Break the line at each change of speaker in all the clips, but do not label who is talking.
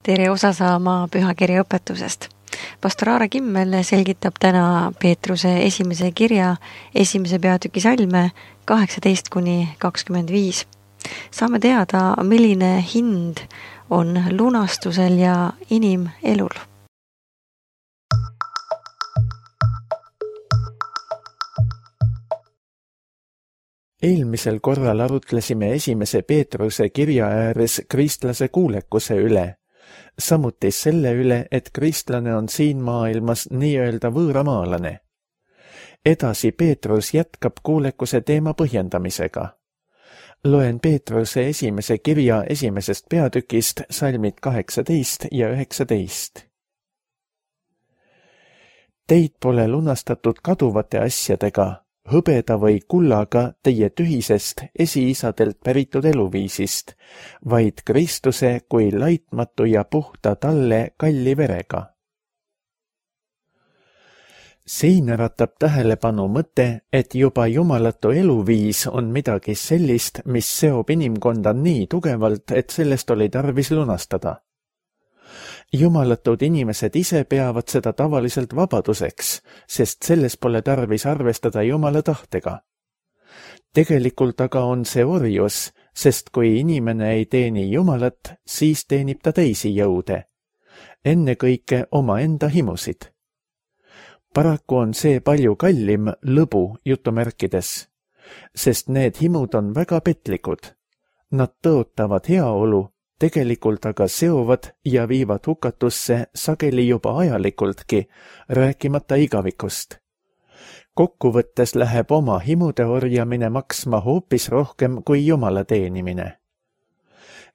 Tere osa saama pühakirja õpetusest. Pastor Aare Kimmel selgitab täna Peetruse esimese kirja esimese peatüki salme 18-25. Saame teada, milline hind on lunastusel ja inimelul.
Eelmisel korral arutlesime esimese Peetruse kirja ääres kristlase kuulekuse üle. Samuti selle üle, et kristlane on siin maailmas nii-öelda võõramaalane. Edasi Peetrus jätkab kuulekuse teema põhjendamisega. Loen Peetruse esimese kirja esimesest peatükist salmid 18 ja 19. Teid pole lunastatud kaduvate asjadega, hõbeda või kullaga teie tühisest esiisadelt päritud eluviisist, vaid Kristuse kui laitmatu ja puhta talle kalli verega. Siin äratab tähelepanu mõte, et juba jumalatu eluviis on midagi sellist, mis seob inimkonda nii tugevalt, et sellest oli tarvis lunastada. Jumalatud inimesed ise peavad seda tavaliselt vabaduseks, sest selles pole tarvis arvestada Jumala tahtega. Tegelikult aga on see orjus, sest kui inimene ei teeni Jumalat, siis teenib ta teisi jõude, ennekõike omaenda himusid. Paraku on see palju kallim lõbu jutumärkides, sest need himud on väga petlikud. Nad tõotavad heaolu, tegelikult aga seovad ja viivad hukatusse sageli juba ajalikuldki, rääkimata igavikust. Kokkuvõttes läheb oma himude orjamine maksma hoopis rohkem kui Jumala teenimine.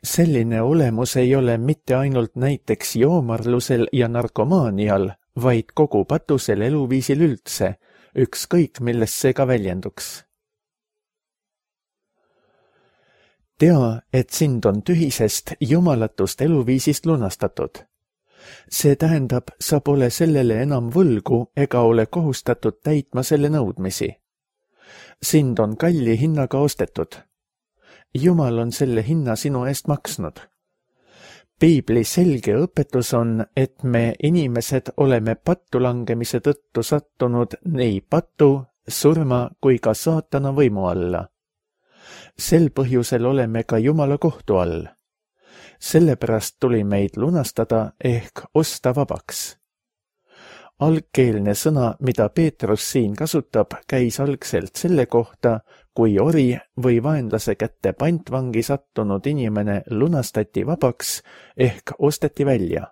Selline olemus ei ole mitte ainult näiteks joomarlusel ja narkomaanial, vaid kogu patusel eluviisil üldse, ükskõik milles see ka väljenduks. Tea, et sind on tühisest jumalatust eluviisist lunastatud. See tähendab, sa pole sellele enam võlgu ega ole kohustatud täitma selle nõudmisi. Sind on kalli hinnaga ostetud. Jumal on selle hinna sinu eest maksnud. Piibli selge õpetus on, et me inimesed oleme pattu langemise tõttu sattunud nii patu, surma kui ka saatana võimu alla. Sel põhjusel oleme ka Jumala kohtu all. Sellepärast tuli meid lunastada ehk osta vabaks. Algkeelne sõna, mida Peetrus siin kasutab, käis algselt selle kohta, kui ori või vaenlase kätte pantvangi sattunud inimene lunastati vabaks ehk osteti välja.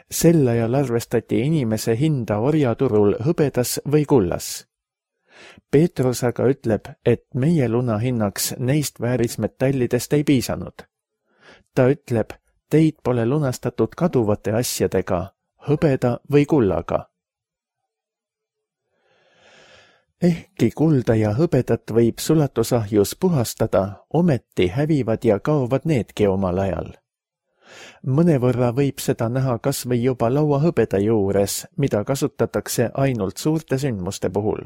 Sel ajal arvestati inimese hinda orjaturul hõbedas või kullas. Peetrus aga ütleb, et meie luna hinnaks neist väärismetallidest ei piisanud. Ta ütleb, teid pole lunastatud kaduvate asjadega, hõbeda või kullaga. Ehkki kulda ja hõbedat võib sulatusahjus puhastada, ometi hävivad ja kaovad needki omal ajal. Mõnevõrra võib seda näha kas või juba lauahõbeda juures, mida kasutatakse ainult suurte sündmuste puhul.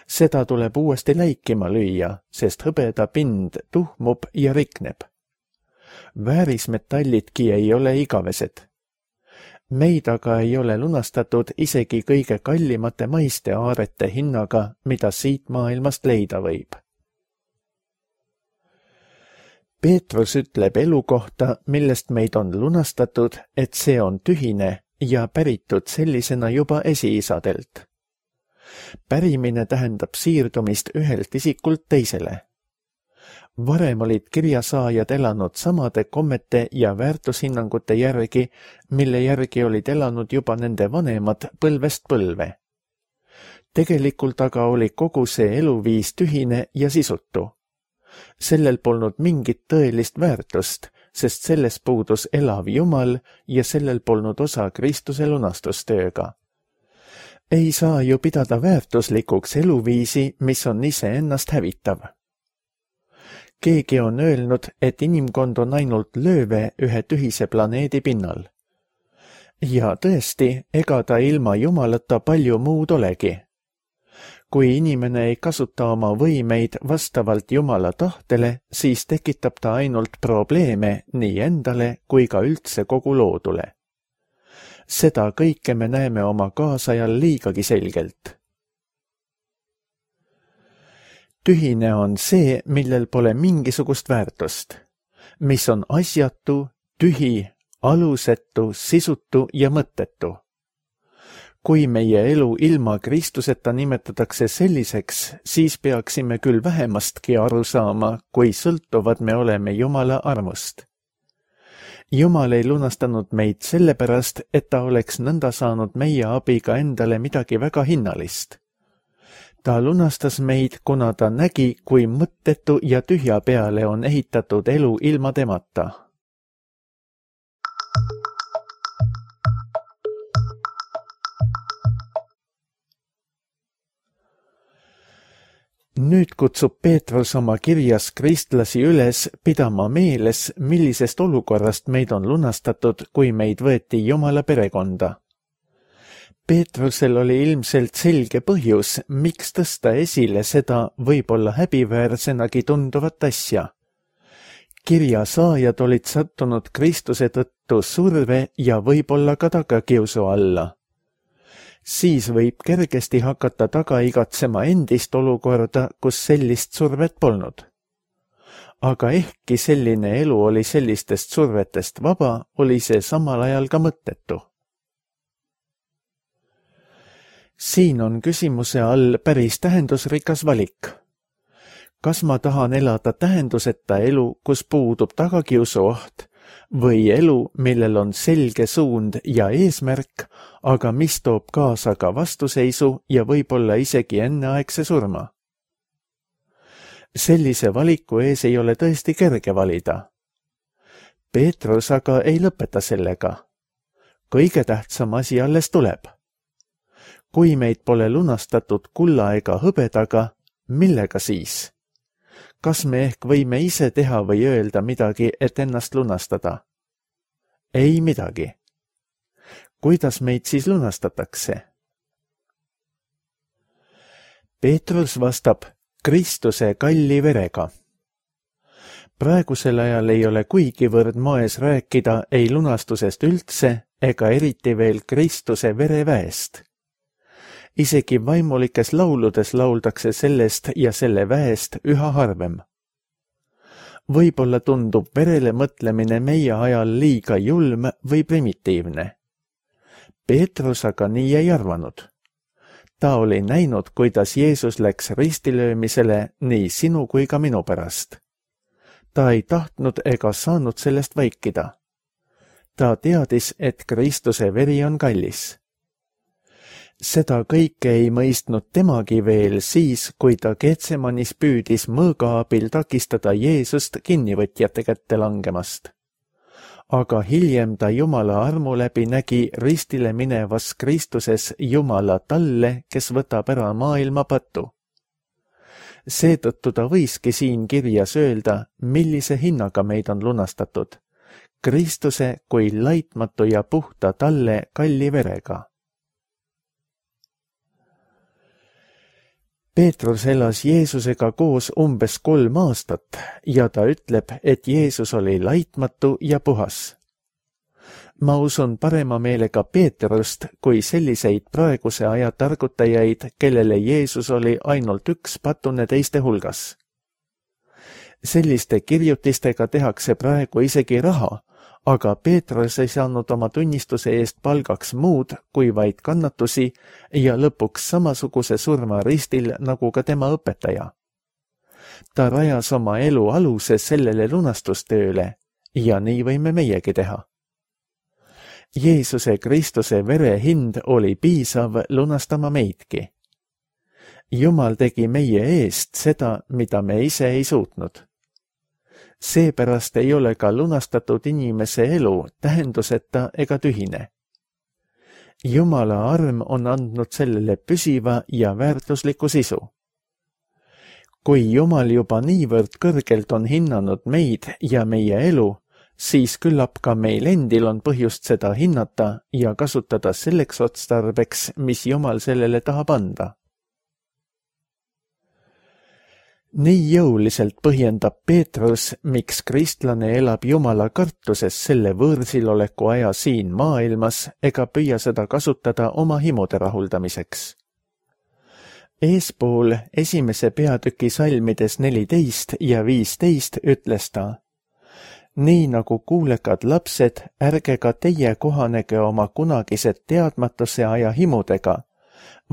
Seda tuleb uuesti läikima lüüa, sest hõbeda pind tuhmub ja rikneb. Väärismetallidki ei ole igavesed. Meid aga ei ole lunastatud isegi kõige kallimate maiste aarete hinnaga, mida siit maailmast leida võib. Peetrus ütleb elu kohta, millest meid on lunastatud, et see on tühine ja päritud sellisena juba esiisadelt. Pärimine tähendab siirdumist ühelt isikult teisele. Varem olid kirjasaajad elanud samade kommete ja väärtushinnangute järgi, mille järgi olid elanud juba nende vanemad põlvest põlve. Tegelikult aga oli kogu see eluviis tühine ja sisutu. Sellel polnud mingit tõelist väärtust, sest selles puudus elav Jumal ja sellel polnud osa Kristuse lunastustööga. Ei saa ju pidada väärtuslikuks eluviisi, mis on iseennast hävitav. Keegi on öelnud, et inimkond on ainult lööve ühe tühise planeedi pinnal. Ja tõesti, ega ta ilma Jumalata palju muud olegi. Kui inimene ei kasuta oma võimeid vastavalt Jumala tahtele, siis tekitab ta ainult probleeme nii endale kui ka üldse kogu loodule. Seda kõike me näeme oma kaasajal liigagi selgelt. Tühine on see, millel pole mingisugust väärtust, mis on asjatu, tühi, alusetu, sisutu ja mõttetu. Kui meie elu ilma Kristuseta nimetatakse selliseks, siis peaksime küll vähemastki aru saama, kui sõltuvad me oleme Jumala armust. Jumal ei lunastanud meid sellepärast, et ta oleks nõnda saanud meie abiga endale midagi väga hinnalist. Ta lunastas meid, kuna ta nägi, kui mõttetu ja tühja peale on ehitatud elu ilma temata. Nüüd kutsub Peetrus oma kirjas kristlasi üles pidama meeles, millisest olukorrast meid on lunastatud, kui meid võeti Jumala perekonda. Peetrusel oli ilmselt selge põhjus, miks tõsta esile seda võib-olla häbiväärsenagi tunduvat asja. Kirja saajad olid sattunud Kristuse tõttu surve ja võib-olla ka tagakiusu alla. Siis võib kergesti hakata taga igatsema endist olukorda, kus sellist survet polnud. Aga ehkki selline elu oli sellistest survetest vaba, oli see samal ajal ka mõttetu. Siin on küsimuse all päris tähendusrikas valik. Kas ma tahan elada tähenduseta elu, kus puudub tagakiusu oht, või elu, millel on selge suund ja eesmärk, aga mis toob kaasa ka vastuseisu ja võib-olla isegi enneaegse surma? Sellise valiku ees ei ole tõesti kerge valida. Peetrus aga ei lõpeta sellega. Kõige tähtsam asi alles tuleb. Kui meid pole lunastatud kulla ega hõbedaga, millega siis? Kas me ehk võime ise teha või öelda midagi, et ennast lunastada? Ei midagi. Kuidas meid siis lunastatakse? Peetrus vastab Kristuse kalli verega. Praegusel ajal ei ole kuigivõrd moes rääkida ei lunastusest üldse ega eriti veel Kristuse vereväest. Isegi vaimulikes lauludes lauldakse sellest ja selle väest üha harvem. Võib-olla tundub verele mõtlemine meie ajal liiga julm või primitiivne. Peetrus aga nii ei arvanud. Ta oli näinud, kuidas Jeesus läks ristilöömisele nii sinu kui ka minu pärast. Ta ei tahtnud ega saanud sellest vaikida. Ta teadis, et Kristuse veri on kallis. Seda kõike ei mõistnud temagi veel siis, kui ta Getsemanis püüdis mõõga abil takistada Jeesust kinnivõtjate kätte langemast. Aga hiljem ta Jumala armu läbi nägi ristile minevas Kristuses Jumala talle, kes võtab ära maailma patu. Seetõttu ta võiski siin kirjas öelda, millise hinnaga meid on lunastatud. Kristuse kui laitmatu ja puhta talle kalli verega. Peetrus elas Jeesusega koos umbes 3 aastat ja ta ütleb, et Jeesus oli laitmatu ja puhas. Ma usun parema meelega Peetrust kui selliseid praeguse aja targutajaid, kellele Jeesus oli ainult üks patune teiste hulgas. Selliste kirjutistega tehakse praegu isegi raha, aga Peetrus ei saanud oma tunnistuse eest palgaks muud kui vaid kannatusi ja lõpuks samasuguse surma ristil nagu ka tema õpetaja. Ta rajas oma elu aluse sellele lunastustööle ja nii võime meiegi teha. Jeesuse Kristuse vere hind oli piisav lunastama meidki. Jumal tegi meie eest seda, mida me ise ei suutnud. Seepärast ei ole ka lunastatud inimese elu tähenduseta ega tühine. Jumala arm on andnud sellele püsiva ja väärtusliku sisu. Kui Jumal juba niivõrd kõrgelt on hinnanud meid ja meie elu, siis küllap ka meil endil on põhjust seda hinnata ja kasutada selleks otstarbeks, mis Jumal sellele tahab anda. Nii jõuliselt põhjendab Peetrus, miks kristlane elab Jumala kartuses selle võõrsiloleku aja siin maailmas ega püüa seda kasutada oma himude rahuldamiseks. Eespool 1. peatüki salmides 14 ja 15 ütles ta: nii nagu kuulekad lapsed, ärge ka teie kohanege oma kunagised teadmatuse aja himudega,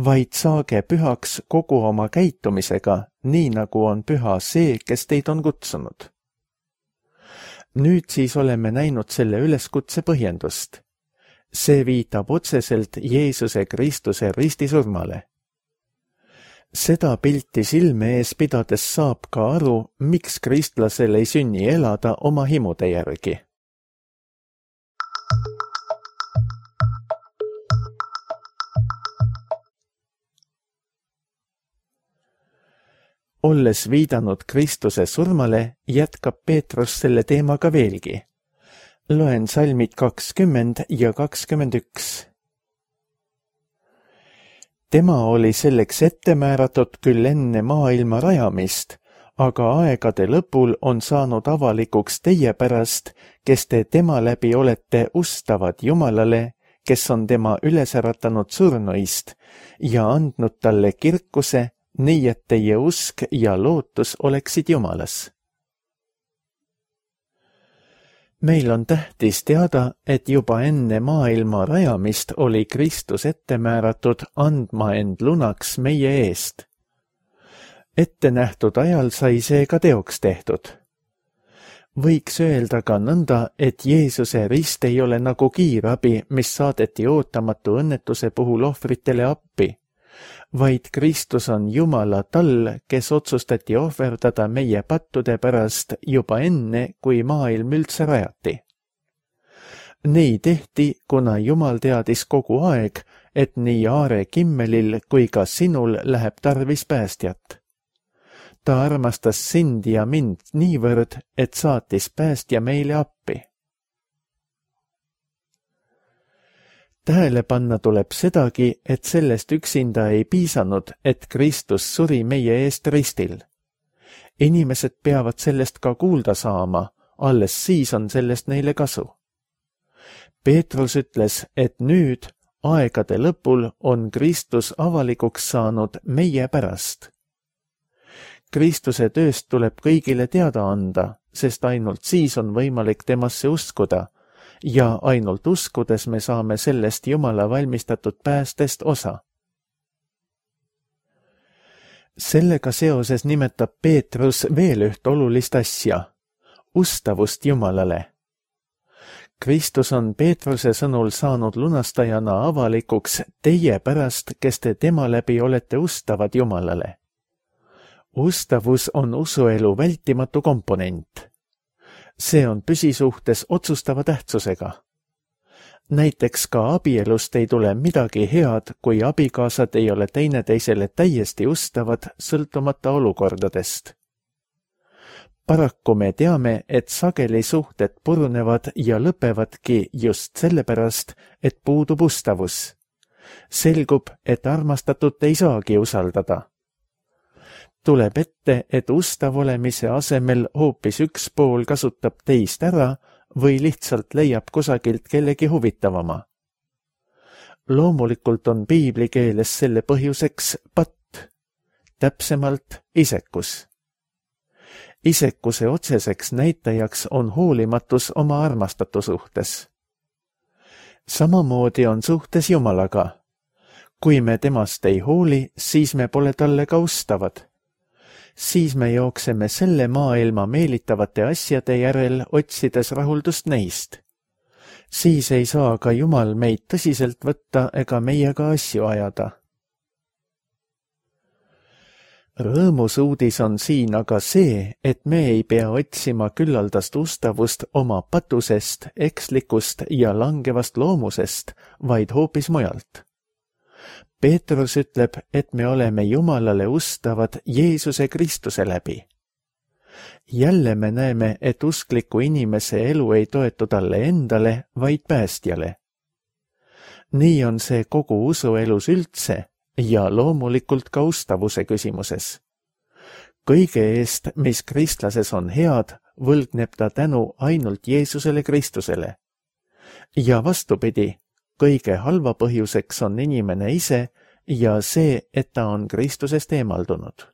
vaid saage pühaks kogu oma käitumisega, nii nagu on püha see, kes teid on kutsunud. Nüüd siis oleme näinud selle üleskutse põhjendust. See viitab otseselt Jeesuse Kristuse ristisurmale. Seda pilti silme ees pidades saab ka aru, miks kristlasel ei sünni elada oma himude järgi. Olles viidanud Kristuse surmale, jätkab Peetrus selle teemaga veelgi. Loen salmid 20 ja 21. Tema oli selleks ette määratud küll enne maailma rajamist, aga aegade lõpul on saanud avalikuks teie pärast, kes te tema läbi olete ustavad Jumalale, kes on tema üles äratanud surnuist ja andnud talle kirkuse, nii et teie usk ja lootus oleksid Jumalas. Meil on tähtis teada, et juba enne maailma rajamist oli Kristus ette määratud andma end lunaks meie eest. Ette nähtud ajal sai see ka teoks tehtud. Võiks öelda ka nõnda, et Jeesuse rist ei ole nagu kiirabi, mis saadeti ootamatu õnnetuse puhul ohvritele appi, vaid Kristus on Jumala tall, kes otsustati ohverdada meie pattude pärast juba enne, kui maailm üldse rajati. Nii tehti, kuna Jumal teadis kogu aeg, et nii Aare Kimmelil kui ka sinul läheb tarvis päästjat. Ta armastas sind ja mind niivõrd, et saatis päästja meile appi. Tähele panna tuleb sedagi, et sellest üksinda ei piisanud, et Kristus suri meie eest ristil. Inimesed peavad sellest ka kuulda saama, alles siis on sellest neile kasu. Peetrus ütles, et nüüd, aegade lõpul, on Kristus avalikuks saanud meie pärast. Kristuse tööst tuleb kõigile teada anda, sest ainult siis on võimalik temasse uskuda, ja ainult uskudes me saame sellest Jumala valmistatud päästest osa. Sellega seoses nimetab Peetrus veel üht olulist asja, ustavust Jumalale. Kristus on Peetruse sõnul saanud lunastajana avalikuks teie pärast, kes te tema läbi olete ustavad Jumalale. Ustavus on usuelu vältimatu komponent. See on püsisuhtes otsustava tähtsusega. Näiteks ka abielust ei tule midagi head, kui abikaasad ei ole teineteisele täiesti ustavad, sõltumata olukordadest. Paraku me teame, et sageli suhted purunevad ja lõpevadki just sellepärast, et puudub ustavus. Selgub, et armastatut ei saagi usaldada. Tuleb ette, et ustav olemise asemel hoopis üks pool kasutab teist ära või lihtsalt leiab kusagilt kellegi huvitavama. Loomulikult on piibli keeles selle põhjuseks patt, täpsemalt isekus. Isekuse otseseks näitajaks on hoolimatus oma armastatu suhtes. Samamoodi on suhtes Jumalaga. Kui me temast ei hooli, siis me pole talle ka ustavad. Siis me jookseme selle maailma meelitavate asjade järel, otsides rahuldust neist. Siis ei saa ka Jumal meid tõsiselt võtta ega meiega asju ajada. Rõõmus uudis on siin aga see, et me ei pea otsima küllaldast ustavust oma patusest, ekslikust ja langevast loomusest, vaid hoopis mujalt. Peetrus ütleb, et me oleme Jumalale ustavad Jeesuse Kristuse läbi. Jälle me näeme, et uskliku inimese elu ei toetu talle endale, vaid päästjale. Nii on see kogu usuelus üldse ja loomulikult ka ustavuse küsimuses. kõige eest, mis kristlases on head, võlgneb ta tänu ainult Jeesusele Kristusele. Ja vastupidi, kõige halva põhjuseks on inimene ise ja see, et ta on Kristusest eemaldunud.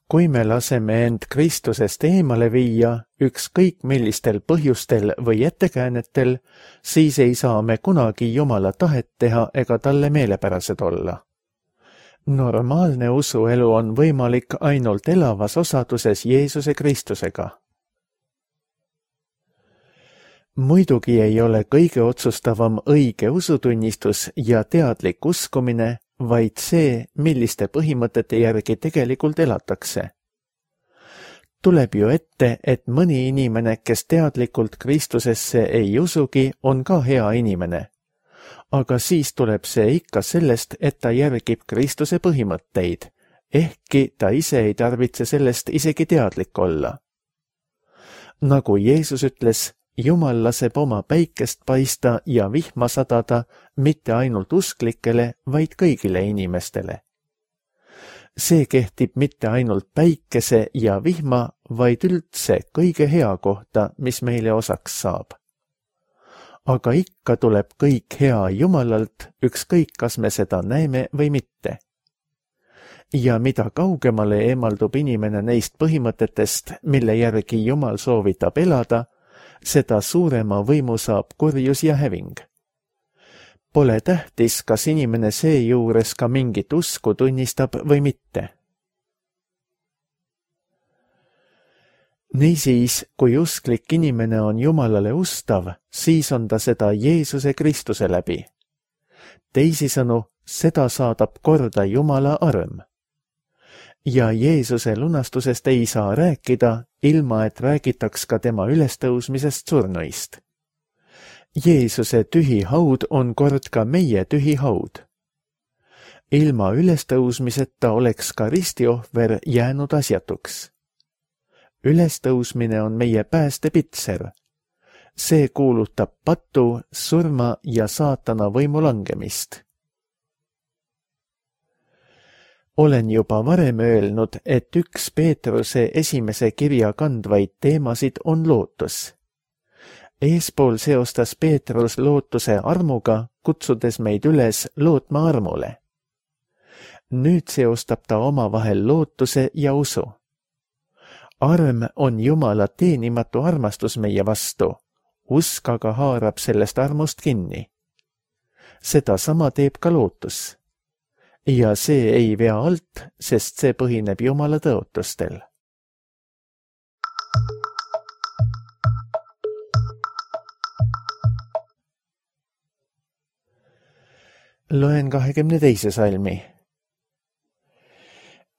Kui me laseme end Kristusest eemale viia, ükskõik millistel põhjustel või ettekäänetel, siis ei saa me kunagi Jumala tahet teha ega talle meelepärased olla. Normaalne usuelu on võimalik ainult elavas osaduses Jeesuse Kristusega. Muidugi ei ole kõige otsustavam õige usutunnistus ja teadlik uskumine, vaid see, milliste põhimõtete järgi tegelikult elatakse. Tuleb ju ette, et mõni inimene, kes teadlikult Kristusesse ei usugi, on ka hea inimene. Aga siis tuleb see ikka sellest, et ta järgib Kristuse põhimõtteid, ehkki ta ise ei tarvitse sellest isegi teadlik olla. Nagu Jeesus ütles, Jumal laseb oma päikest paista ja vihma sadada mitte ainult usklikele, vaid kõigile inimestele. See kehtib mitte ainult päikese ja vihma, vaid üldse kõige hea kohta, mis meile osaks saab. Aga ikka tuleb kõik hea Jumalalt, ükskõik kas me seda näeme või mitte. Ja mida kaugemale eemaldub inimene neist põhimõtetest, mille järgi Jumal soovitab elada, seda suurema võimu saab kurjus ja häving. Pole tähtis, kas inimene seejuures ka mingit usku tunnistab või mitte. Niisiis, kui usklik inimene on Jumalale ustav, siis on ta seda Jeesuse Kristuse läbi. Teisisõnu, seda saadab korda Jumala arm. Ja Jeesuse lunastusest ei saa rääkida, ilma et räägitaks ka tema ülestõusmisest surnuist. Jeesuse tühi haud on kord ka meie tühi haud. Ilma ülestõusmiseta oleks ka ristiohver jäänud asjatuks. Ülestõusmine on meie päästepitser. See kuulutab patu, surma ja saatana võimu langemist. Olen juba varem öelnud, et üks Peetruse esimese kirja kandvaid teemasid on lootus. Eespool seostas Peetrus lootuse armuga, kutsudes meid üles lootma armule. Nüüd seostab ta omavahel lootuse ja usu. Arm on Jumala teenimatu armastus meie vastu, usk aga haarab sellest armust kinni. Seda sama teeb ka lootus. Ja see ei vea alt, sest see põhineb Jumala tõotustel. Loen 22. salmi.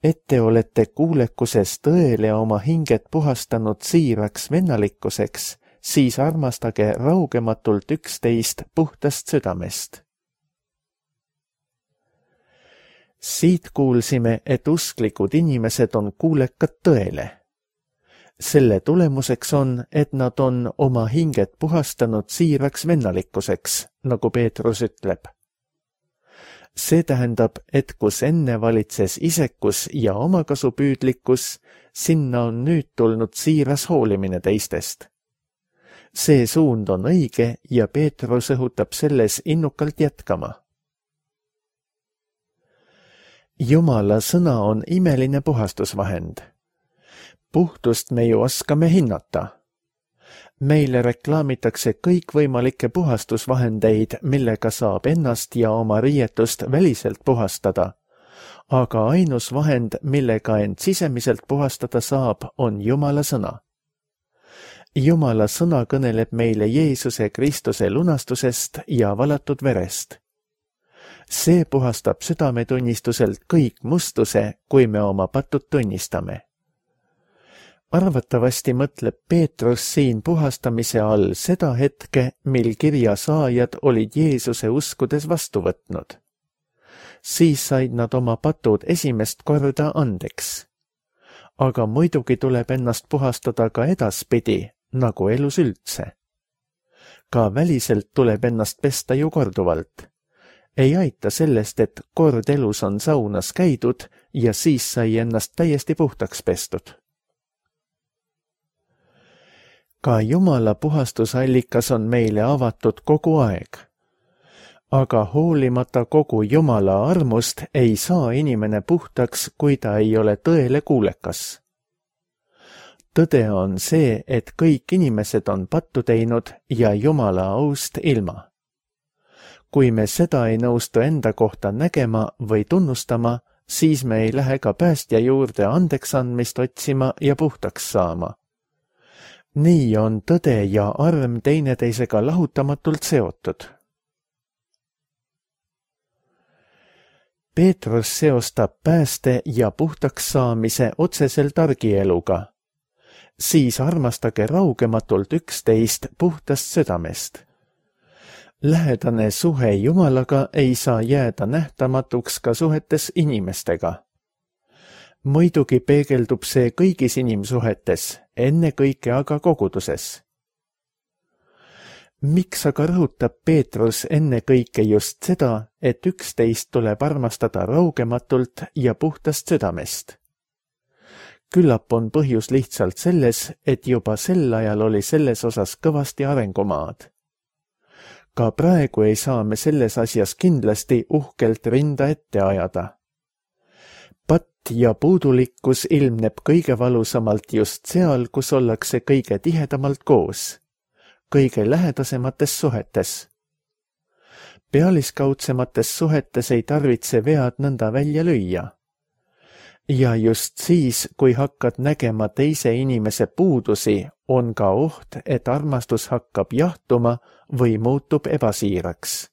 Et te olete kuulekuses tõele oma hinget puhastanud siiraks vennalikkuseks, siis armastage raugematult üksteist puhtast südamest. Siit kuulsime, et usklikud inimesed on kuulekad tõele. Selle tulemuseks on, et nad on oma hinget puhastanud siiraks vennalikkuseks, nagu Peetrus ütleb. See tähendab, et kus enne valitses isekus ja omakasupüüdlikkus, sinna on nüüd tulnud siiras hoolimine teistest. See suund on õige ja Peetrus õhutab selles innukalt jätkama. Jumala sõna on imeline puhastusvahend. Puhtust me ju oskame hinnata. Meile reklaamitakse kõikvõimalikke puhastusvahendeid, millega saab ennast ja oma riietust väliselt puhastada, aga ainus vahend, millega end sisemiselt puhastada saab, on Jumala sõna. Jumala sõna kõneleb meile Jeesuse Kristuse lunastusest ja valatud verest. See puhastab südametunnistuselt kõik mustuse, kui me oma patud tunnistame. Arvatavasti mõtleb Peetrus siin puhastamise all seda hetke, mil kirja saajad olid Jeesuse uskudes vastu võtnud. Siis said nad oma patud esimest korda andeks. Aga muidugi tuleb ennast puhastada ka edaspidi, nagu elus üldse. Ka väliselt tuleb ennast pesta ju korduvalt. ei aita sellest, et kord elus on saunas käidud ja siis sai ennast täiesti puhtaks pestud. Ka Jumala puhastusallikas on meile avatud kogu aeg. Aga hoolimata kogu Jumala armust ei saa inimene puhtaks, kui ta ei ole tõele kuulekas. Tõde on see, et kõik inimesed on pattu teinud ja Jumala aust ilma. Kui me seda ei nõustu enda kohta nägema või tunnustama, siis me ei lähe ka päästja juurde andeks andmist otsima ja puhtaks saama. Nii on tõde ja arm teineteisega lahutamatult seotud. Peetrus seostab pääste ja puhtaks saamise otseselt argieluga. Siis armastage raugematult üksteist puhtast südamest. Lähedane suhe Jumalaga ei saa jääda nähtamatuks ka suhetes inimestega. Muidugi peegeldub see kõigis inimsuhetes, ennekõike aga koguduses. Miks aga rõhutab Peetrus ennekõike just seda, et üksteist tuleb armastada raugematult ja puhtast südamest? Küllap on põhjus lihtsalt selles, et juba sel ajal oli selles osas kõvasti arengumaad. Ka praegu ei saa me selles asjas kindlasti uhkelt rinda ette ajada. Patt ja puudulikkus ilmneb kõige valusamalt just seal, kus ollakse kõige tihedamalt koos, kõige lähedasemates suhetes. Pealiskaudsemates suhetes ei tarvitse vead nõnda välja lüüa. Ja just siis, kui hakkad nägema teise inimese puudusi, on ka oht, et armastus hakkab jahtuma või muutub ebasiiraks.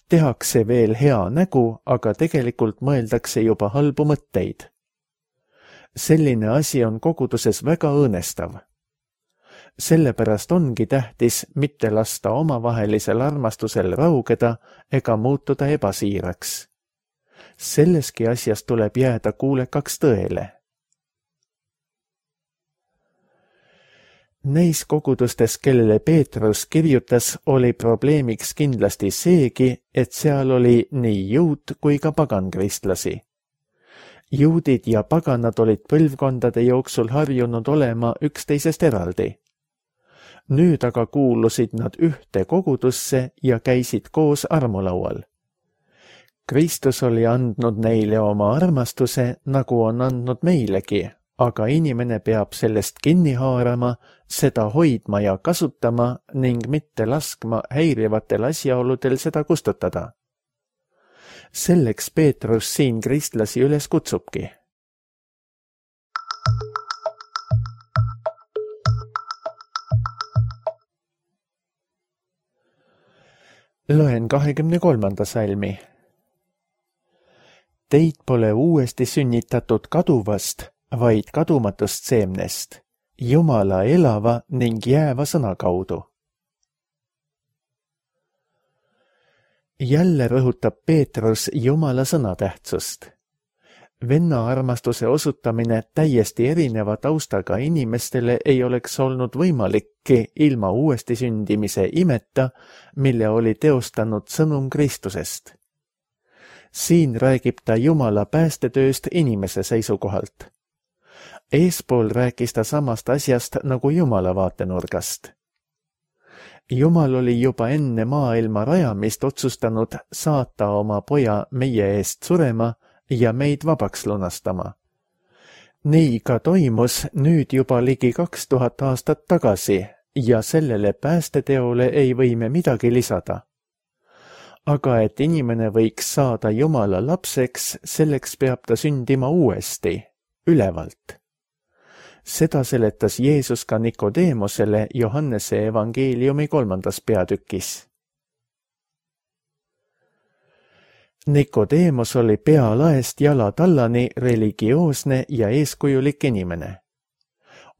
Tehakse veel hea nägu, aga tegelikult mõeldakse juba halbu mõtteid. Selline asi on koguduses väga õõnestav. Sellepärast ongi tähtis mitte lasta omavahelisel armastusel raugeda ega muutuda ebasiiraks. Selleski asjas tuleb jääda kuulekaks tõele. Neis kogudustes, kellele Peetrus kirjutas, oli probleemiks kindlasti seegi, et seal oli nii juut kui ka pagankristlasi. Juudid ja paganad olid põlvkondade jooksul harjunud olema üksteisest eraldi. Nüüd aga kuulusid nad ühte kogudusse ja käisid koos armulaual. Kristus oli andnud neile oma armastuse, nagu on andnud meilegi, aga inimene peab sellest kinni haarama, seda hoidma ja kasutama ning mitte laskma häirivatel asjaoludel seda kustutada. Selleks Peetrus siin kristlasi üles kutsubki. Loen 23. salmi. Teid pole uuesti sünnitatud kaduvast, vaid kadumatust seemnest, Jumala elava ning jääva sõna kaudu. Jälle rõhutab Peetrus Jumala sõna tähtsust. Venna armastuse osutamine täiesti erineva taustaga inimestele ei oleks olnud võimalikki ilma uuesti sündimise imeta, mille oli teostanud sõnum Kristusest. Siin räägib ta Jumala päästetööst inimese seisukohalt. Eespool rääkis ta samast asjast nagu Jumala vaatenurgast. Jumal oli juba enne maailma rajamist otsustanud saata oma poja meie eest surema ja meid vabaks lunastama. Nii ka toimus nüüd juba ligi 2000 aastat tagasi ja sellele päästeteole ei või me midagi lisada. Aga et inimene võiks saada Jumala lapseks, selleks peab ta sündima uuesti, ülevalt. Seda seletas Jeesus ka Nikodeemosele Johannese evangeeliumi 3. peatükis. Nikodeemos oli pealaest jalatallani religioosne ja eeskujulik inimene.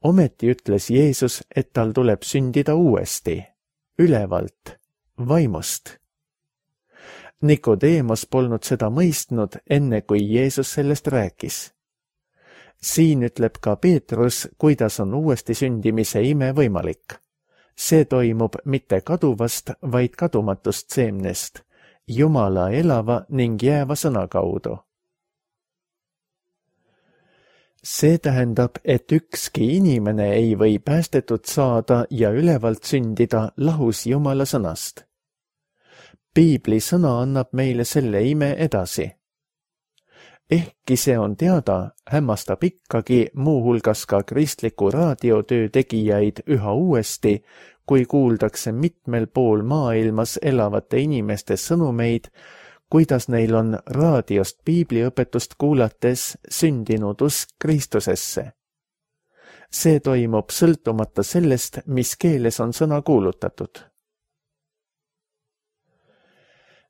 Ometi ütles Jeesus, et tal tuleb sündida uuesti, ülevalt, vaimust. Nikodeemos polnud seda mõistnud, enne kui Jeesus sellest rääkis. Siin ütleb ka Peetrus, kuidas on uuesti sündimise ime võimalik. See toimub mitte kaduvast, vaid kadumatust seemnest, Jumala elava ning jääva sõna kaudu. See tähendab, et ükski inimene ei või päästetud saada ja ülevalt sündida lahus Jumala sõnast. Piibli sõna annab meile selle ime edasi. Ehkki see on teada, hämmastab ikkagi muuhulgas ka kristliku raadiotöö tegijaid üha uuesti, kui kuuldakse mitmel pool maailmas elavate inimeste sõnumeid, kuidas neil on raadiost piibliõpetust kuulates sündinud usk Kristusesse. See toimub sõltumata sellest, mis keeles on sõna kuulutatud.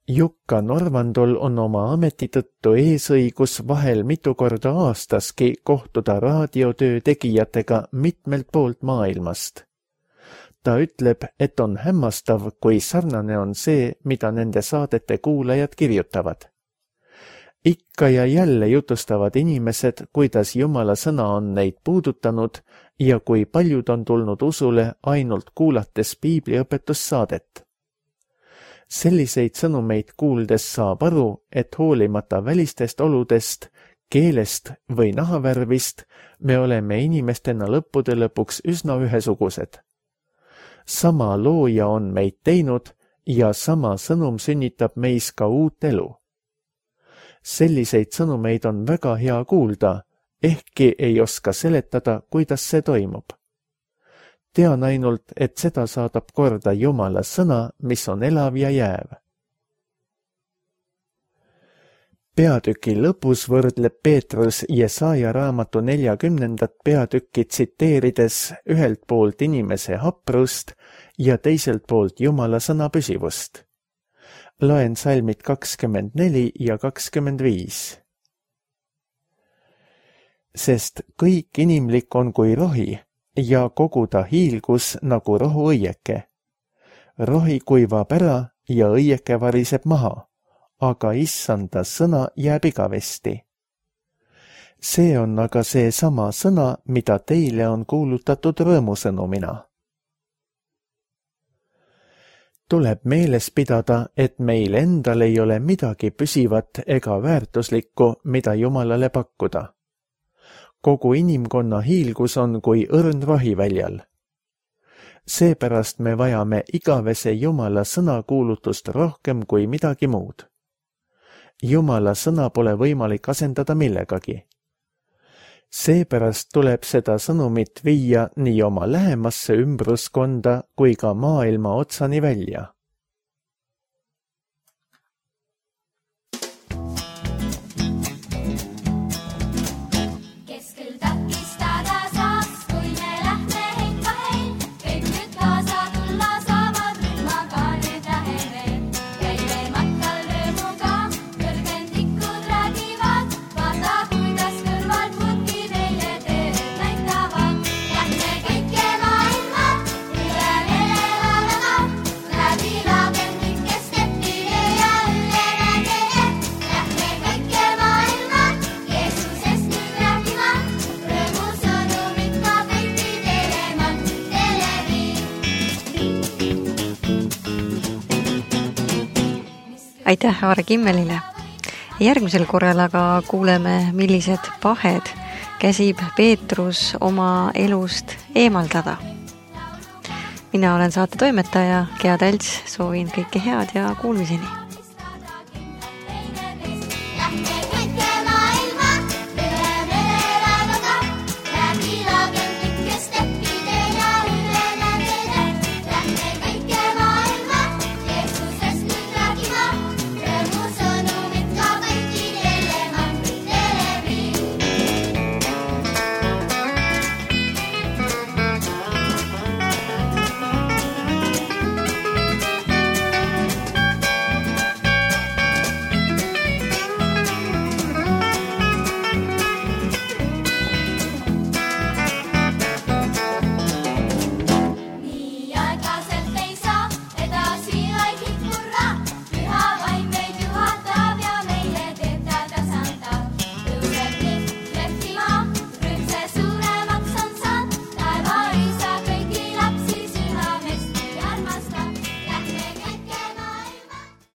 Jukka Norvandol on oma ameti tõttu eesõigus vahel mitu korda aastaski kohtuda raadiotöö tegijatega mitmelt poolt maailmast. Ta ütleb, et on hämmastav, kui sarnane on see, mida nende saadete kuulajad kirjutavad. Ikka ja jälle jutustavad inimesed, kuidas Jumala sõna on neid puudutanud ja kui paljud on tulnud usule ainult kuulates piibliõpetussaadet. Selliseid sõnumeid kuuldes saab aru, et hoolimata välistest oludest, keelest või nahavärvist, me oleme inimestena lõppude lõpuks üsna ühesugused. Sama looja on meid teinud ja sama sõnum sünnitab meis ka uut elu. Selliseid sõnumeid on väga hea kuulda, ehkki ei oska seletada, kuidas see toimub. Tean ainult, et seda saadab korda Jumala sõna, mis on elav ja jääv. Peatüki lõpus võrdleb Peetrus Jesaja raamatu 40. peatükki tsiteerides ühelt poolt inimese haprust ja teiselt poolt Jumala sõna püsivust. Loen salmid 24 ja 25. Sest kõik inimlik on kui rohi ja kogu ta hiilgus nagu rohuõieke. Rohi kuivab ära ja õieke variseb maha, aga issanda sõna jääb igavesti. See on aga see sama sõna, mida teile on kuulutatud rõõmusõnumina. Tuleb meeles pidada, et meil endal ei ole midagi püsivat ega väärtuslikku, mida Jumalale pakkuda. Kogu inimkonna hiilgus on kui õrn rohiväljal. Seepärast me vajame igavese Jumala sõna kuulutust rohkem kui midagi muud. Jumala sõna pole võimalik asendada millegagi. Seepärast tuleb seda sõnumit viia nii oma lähemasse ümbruskonda kui ka maailma otsani välja.
Aitäh Aare Kimmelile. Järgmisel korral aga kuuleme, millised pahed käsib Peetrus oma elust eemaldada. Mina olen saate toimetaja Gea Talts, soovin kõike head ja kuulmiseni.